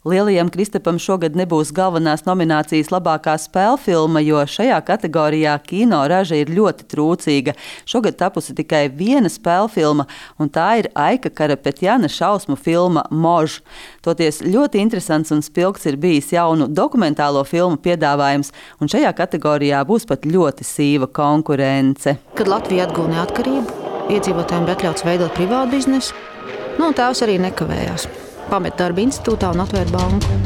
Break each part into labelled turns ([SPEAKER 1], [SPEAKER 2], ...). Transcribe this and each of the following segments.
[SPEAKER 1] Lielajam Kristapam šogad nebūs galvenās nominācijas labākā spēlfilma, jo šajā kategorijā kino raža ir ļoti trūcīga. Šogad tapusi tikai viena spēlfilma, un tā ir Aika Karapetjana šausmu filma Možs. Toties ļoti interesants un spilgts ir bijis jaunu dokumentālo filmu piedāvājums, un šajā kategorijā būs pat ļoti sīva konkurence.
[SPEAKER 2] Kad Latvija atguva neatkarību, iedzīvotājiem bija atļauts veidot privātu biznesu, tēvs arī nekavējās. Pamet darba institūtā un atvēra banku.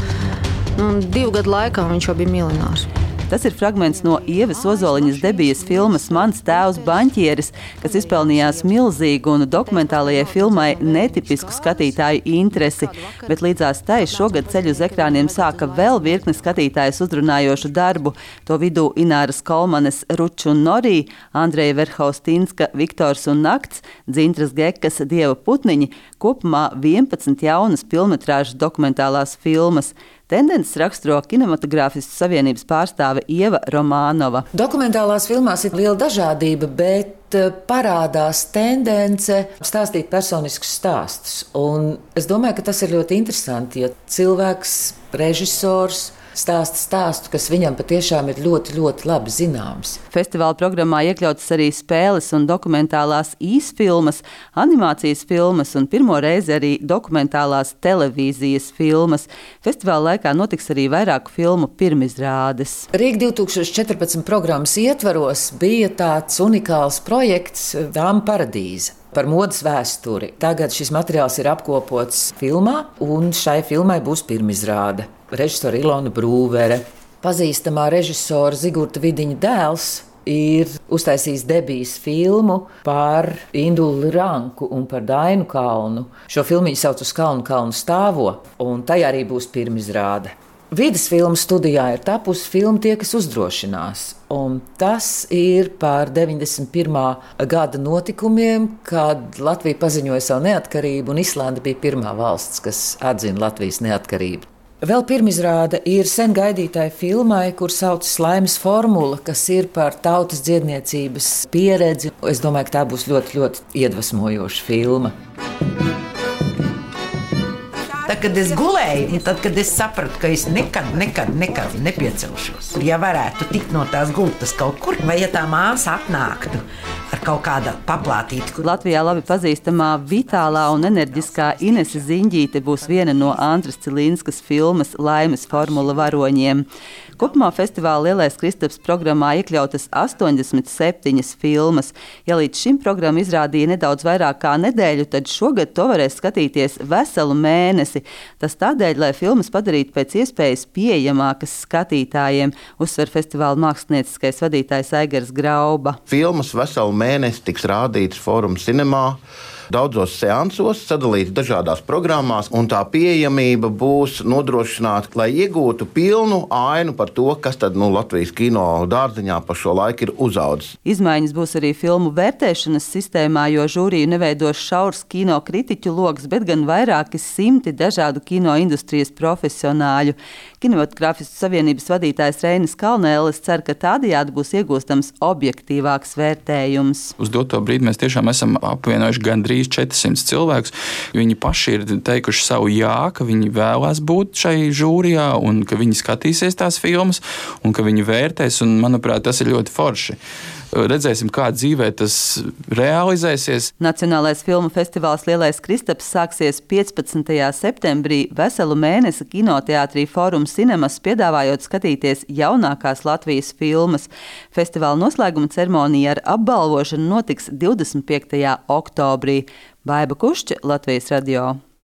[SPEAKER 2] 2 gadu laikā viņš jau bija miljonārs.
[SPEAKER 1] Tas ir fragments no Ievas Ozoliņas debijas filmas Mans tēvs banķieris, kas izpelnījās milzīgu un dokumentālajai filmai netipisku skatītāju interesi, bet līdzās tai šogad ceļu uz ekrāniem sāka vēl virkni skatītājus uzrunājošu darbu. To vidū Ināras Kolmanes Ručs un Norī, Andreja Verhaustinska Viktors un Nakts, Dzintras Gekas Dieva putniņi, kopumā 11 jaunas pilnmetrāžas dokumentālās filmas. Tendences raksturo Kinematogrāfistu savienības pārstāve Ieva Romānova.
[SPEAKER 3] Dokumentālās filmās ir liela dažādība, bet parādās tendence stāstīt personiskus stāstus. Un es domāju, ka tas ir ļoti interesanti, ja cilvēks, režisors, stāsta stāstu, kas viņam patiešām ir ļoti, ļoti labi zināms.
[SPEAKER 1] Festivāla programmā iekļautas arī spēles un dokumentālās īsfilmas, animācijas filmas un pirmo reizi arī dokumentālās televīzijas filmas. Festivāla laikā notiks arī vairāku filmu pirmizrādes.
[SPEAKER 3] Rīga 2014 programmas ietvaros bija tāds unikāls projekts Dāma paradīze par modes vēsturi. Tagad šis materiāls ir apkopots filmā, un šai filmai būs pirmizrāde. Režisora Ilona Brūvere, pazīstamā režisora Zigurta Vidiņa dēls, ir uztaisījis debijas filmu par Induli Ranku un par Dainu Kalnu. Šo filmu sauc Uz kalnu kalnu stāvo, un tajā arī būs pirmizrāde. Vides filmu studijā ir tapusi filma Tie, kas uzdrošinās, un tas ir par 91. gada notikumiem, kad Latvija paziņoja savu neatkarību, un Islanda bija pirmā valsts, kas atzina Latvijas neatkarību. Vēl pirmizrāde ir sen gaidītai filmai, kur saucas Laimes formula, kas ir par tautas dziedniecības pieredzi. Es domāju, ka tā būs ļoti, ļoti iedvesmojoša filma.
[SPEAKER 4] Tad, kad es gulēju, un tad, kad es sapratu, ka es nekad nepiecelšos, ja varētu tikt no tās gultas kaut kur, vai ja tā māsa atnāktu ar kaut kāda paplātīta.
[SPEAKER 1] Latvijā labi pazīstamā vitālā un enerģiskā Inese Ziņģīte būs viena no Andras Cilinskas filmas Laimes formula varoņiem. Kopumā festivāla Lielais Kristaps programmā iekļautas 87 filmas. Ja līdz šim programma izrādīja nedaudz vairāk kā nedēļu, tad šogad to varēs skatīties veselu mēnesi. Tas tādēļ, lai filmas padarītu pēc iespējas pieejamākas skatītājiem, uzsver festivāla mākslinieckais vadītājs Aigars Grauba.
[SPEAKER 5] Filmas veselu mēnesi tiks rādītas Fórum Cinemā, daudzos seansos, sadalīts dažādās programmās, un tā pieejamība būs nodrošināta, lai iegūtu pilnu ainu par to, kas tad Latvijas kino dārziņā pa šo laiku ir uzaudzis.
[SPEAKER 1] Izmaiņas būs arī filmu vērtēšanas sistēmā, jo žūriju neveidos šaurs kino kritiķu loks, bet gan vairāki simti dažādu kino industrijas profesionāļu. Kinematogrāfistu savienības vadītājs Reinis Kalnēlis cer, ka tādējādi būs iegūstams objektīvāks vērtējums.
[SPEAKER 6] Uz doto brīdi mēs tiešām esam apvienojuši gandrīz 400 cilvēkus. Viņi paši ir teikuši savu jā, ka viņi vēlās būt šai žūrijā un ka viņi skatīsies tās filmas un ka viņi vērtēs, un manuprāt, tas ir ļoti forši. Redzēsim, kā dzīvē tas realizēsies.
[SPEAKER 1] Nacionālais filmu festivāls Lielais Kristaps sāksies 15. septembrī veselu mēnesi kinoteātrī Fórum Cinemas, piedāvājot skatīties jaunākās Latvijas filmas. Festivāla noslēguma ceremonija ar apbalvošanu notiks 25. oktobrī. Baiba Kušķe, Latvijas radio.